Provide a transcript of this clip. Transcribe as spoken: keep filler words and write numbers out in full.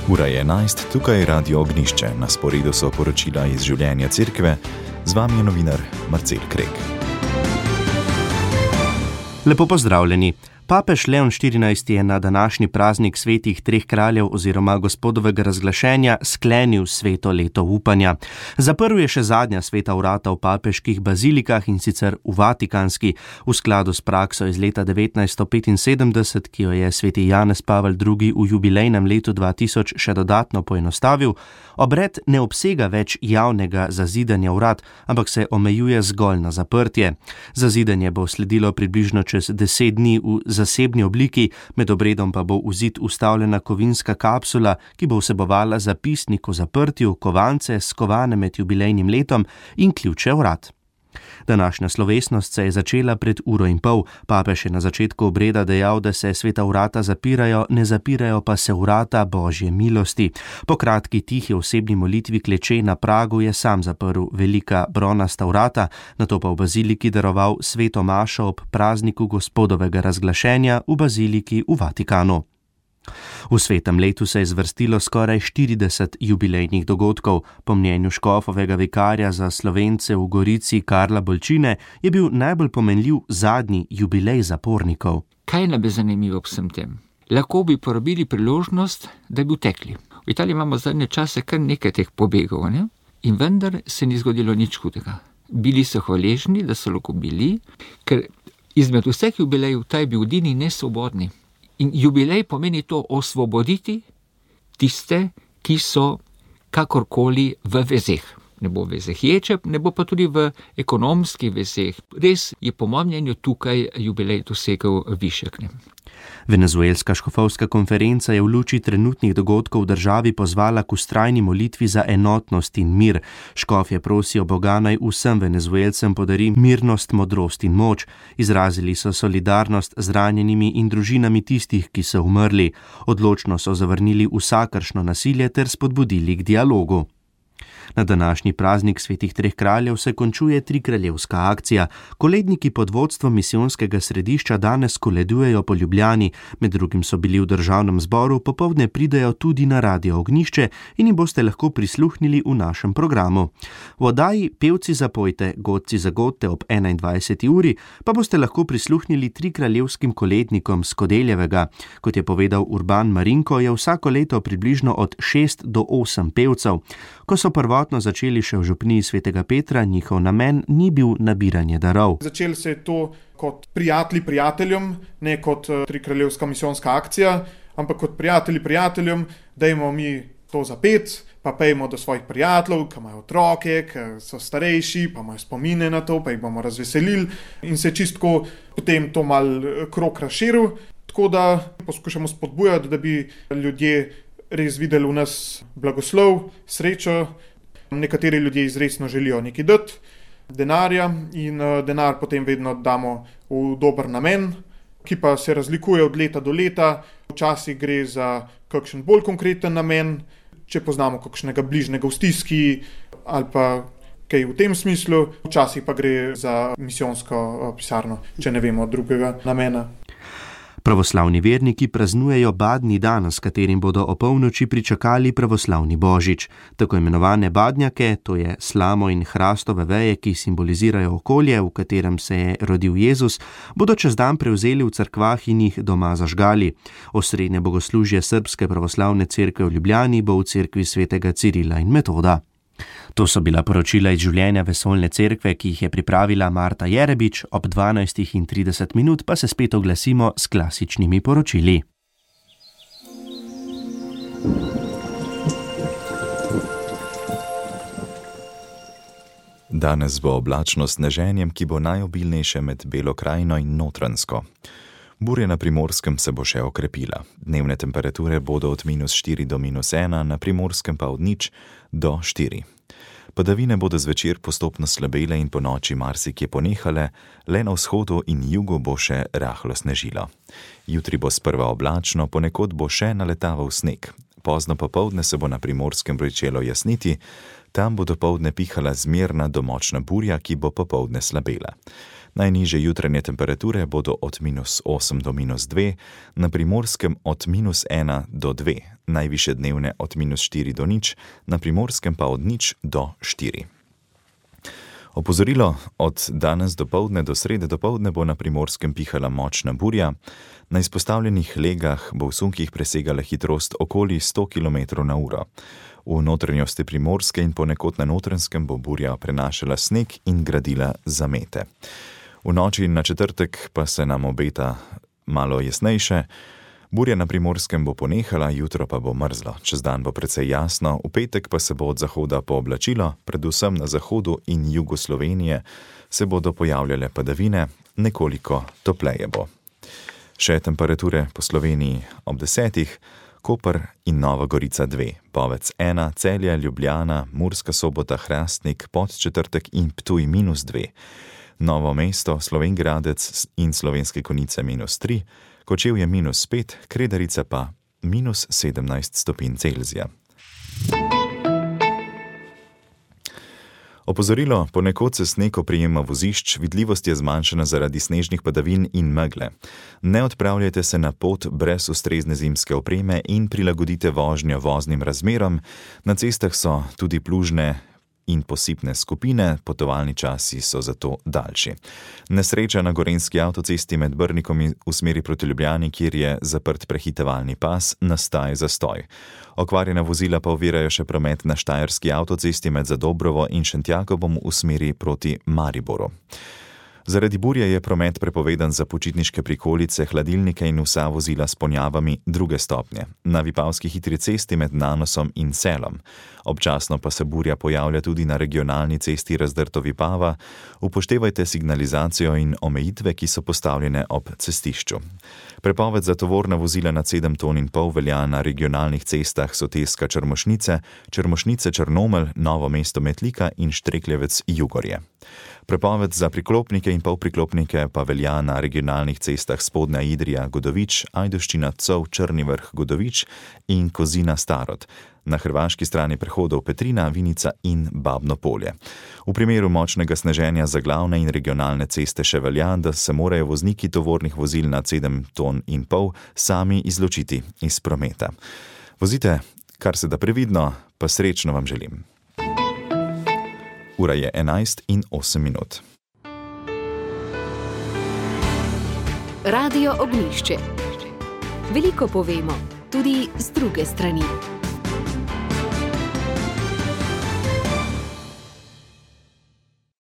Ura je enajst, tukaj je Radio Ognjišče, na sporedu so poročila iz življenja cerkve, z vami je novinar Marcel Krek. Lepo pozdravljeni. Papež Leon štirinajsti je na današnji praznik svetih treh kraljev oziroma gospodovega razglašenja sklenil sveto leto upanja. Zaprl je še zadnja sveta vrata v papeških bazilikah, in sicer v Vatikanski, v skladu s prakso iz leta devetnajststo petinsedemdeset, ki jo je sveti Janez Pavel drugi v jubilejnem letu dva tisoč še dodatno poenostavil. Obred ne obsega več javnega zazidanja vrat, ampak se omejuje zgolj na zaprtje. Zazidanje bo sledilo približno čez deset dni v zasebni obliki, med obredom pa bo v zid vstavljena kovinska kapsula, ki bo vsebovala zapisnik o zaprtju, kovance, skovane med jubilejnim letom in ključe vrat. Današnja slovesnost se je začela pred uro in pol. Papež je na začetku obreda dejal, da se sveta vrata zapirajo, ne zapirajo pa se vrata Božje milosti. Po kratki tihi osebni molitvi kleče na pragu je sam zaprl velika bronasta vrata, nato pa v baziliki daroval sveto mašo ob prazniku gospodovega razglašenja v baziliki v Vatikanu. V svetem letu se je zvrstilo skoraj štirideset jubilejnih dogodkov. Po mnenju škofovega vikarja za Slovence v Gorici Karla Bolčine je bil najbolj pomenljiv zadnji jubilej zapornikov. Kaj nam je zanimivo v vsem tem? Lahko bi porabili priložnost, da bi utekli. V Italiji imamo zadnje čase kar nekaj teh pobegov, ne? In vendar se ni zgodilo nič hudega. Bili so hvaležni, da so lahko bili, ker izmed vseh jubilejev ta je bil edini nesvobodni. In jubilej pomeni to osvoboditi tiste, ki so kakorkoli v vezeh. Ne bo v vezeh ječeb, ne bo pa tudi v ekonomskih vezeh. Res je po mojem mnenju tukaj jubilej dosegel višek. Venezuelska škofovska konferenca je v luči trenutnih dogodkov v državi pozvala k vztrajni molitvi za enotnost in mir. Škofje prosijo Boga naj vsem Venezuelcem podari mirnost, modrost in moč. Izrazili so solidarnost z ranjenimi in družinami tistih, ki so umrli. Odločno so zavrnili vsakršno nasilje ter spodbudili k dialogu. Na današnji praznik svetih treh kraljev se končuje trikraljevska akcija. Koledniki pod vodstvom misijonskega središča danes koledujejo po Ljubljani, med drugim so bili v državnem zboru, popoldne pridejo tudi na Radio Ognjišče in jim boste lahko prisluhnili v našem programu. V oddaji Pevci zapojte, godci zagodte ob enaindvajseti uri pa boste lahko prisluhnili trikraljevskim kolednikom s Kodeljevega. Kot je povedal Urban Marinko, je vsako leto približno od šest do osem pevcev. Ko so prvotno začeli še v župniji svetega Petra, njihov namen ni bil nabiranje darov. Začelo se je to kot prijatelji prijateljem, ne kot trikraljevska misijonska akcija, ampak kot prijatelji prijateljem, dajmo mi to zapet, pa pejmo do svojih prijateljev, ki imajo otroke, ki so starejši, pa imajo spomine na to, pa jih bomo razveselili, in se čistko potem to mal krog razširil, tako da poskušamo spodbujati, da bi ljudje res videli v nas blagoslov, srečo. Nekateri ljudje izresno želijo nekaj dati, denarja, in denar potem vedno damo v dober namen, ki pa se razlikuje od leta do leta. Včasih gre za kakšen bolj konkreten namen, če poznamo kakšnega bližnjega v stiski ali pa kaj v tem smislu, včasih pa gre za misijonsko pisarno, če ne vemo drugega namena. Pravoslavni verniki praznujejo badni dan, s katerim bodo opolnoči pričakali pravoslavni božič. Tako imenovane badnjake, to je slamo in hrastove veje, ki simbolizirajo okolje, v katerem se je rodil Jezus, bodo čez dan prevzeli v cerkvah in jih doma zažgali. Osrednje bogoslužje Srbske pravoslavne cerkve v Ljubljani bo v cerkvi svetega Cirila in Metoda. To so bila poročila iz življenja vesoljne cerkve, ki jih je pripravila Marta Jerebič, ob dvanajstih in trideset minut pa se spet oglasimo s klasičnimi poročili. Danes bo oblačno sneženjem, ki bo najobilnejše med Belo krajino in Notranjsko. Burja na Primorskem se bo še okrepila. Dnevne temperature bodo od minus štiri do minus ena, na Primorskem pa od nič do štiri. Padavine bodo zvečer postopno slabele in po noči marsikje ponehale, le na vzhodu in jugu bo še rahlo snežilo. Jutri bo sprva oblačno, ponekod bo še naletaval sneg. Pozno popoldne se bo na Primorskem pričelo jasniti, tam bo dopoldne pihala zmerna do močna burja, ki bo popoldne slabela. Najnižje jutranje temperature bodo od minus osem do minus dve, na Primorskem od minus ena do dve, najvišje dnevne od minus štiri do nič, na Primorskem pa od nič do štiri. Opozorilo: od danes dopoldne do srede dopoldne bo na Primorskem pihala močna burja. Na izpostavljenih legah bo v sunkih presegala hitrost okoli sto kilometrov na uro. V notranjosti Primorske in ponekod na Notranjskem bo burja prenašala sneg in gradila zamete. V noči na četrtek pa se nam obeta malo jasnejše. Burja na Primorskem bo ponehala, jutro pa bo mrzlo. Čez dan bo precej jasno, v petek pa se bo od zahoda pooblačilo, predvsem na zahodu in jugu Slovenije se bodo pojavljale padavine, nekoliko topleje bo. Še temperature po Sloveniji ob desetih: Koper in Nova Gorica dve, Povec ena, Celje, Ljubljana, Murska Sobota, Hrastnik, Podčetrtek in Ptuj minus dve, Novo mesto, Slovenj Gradec in Slovenske Konjice minus tri, Kočevje minus pet, Kredarica pa minus sedemnajst stopinj Celzija. Opozorilo: ponekod se sneg oprijema vozišč, vidljivost je zmanjšana zaradi snežnih padavin in megle. Ne odpravljajte se na pot brez ustrezne zimske opreme in prilagodite vožnjo voznim razmeram. Na cestah so tudi plužne in posipne skupine, potovalni časi so zato daljši. Nesreča na gorenjski avtocesti med Brnikom v smeri proti Ljubljani, kjer je zaprt prehitevalni pas, nastaja zastoj. Okvarjena vozila pa ovirajo še promet na štajerski avtocesti med Zadobrovo in Šentjakobom v smeri proti Mariboru. Zaradi burje je promet prepovedan za počitniške prikolice, hladilnike in vsa vozila s ponjavami druge stopnje. Na Vipavski hitri cesti med Nanosom in Selom. Občasno pa se burja pojavlja tudi na regionalni cesti Razdrto-Vipava. Upoštevajte signalizacijo in omejitve, ki so postavljene ob cestišču. Prepoved za tovorna vozila nad sedem ton in pol velja na regionalnih cestah Soteska Črmošnice, Črmošnice Črnomelj, Novo mesto Metlika in Štrekljevec Jugorje. Prepoved za priklopnike in polpriklopnike pa velja na regionalnih cestah Spodnja Idrija Godovič, Ajdovščina Cov Črni vrh Godovič in Kozina Starod. Na hrvaški strani prehodov Petrina, Vinica in Babno Polje. V primeru močnega sneženja za glavne in regionalne ceste še velja, da se morajo vozniki tovornih vozil nad sedem ton in pol sami izločiti iz prometa. Vozite kar se da previdno, pa srečno vam želim. Ura je enajst in osem minut. Radio Ognjišče. Veliko povemo, tudi z druge strani.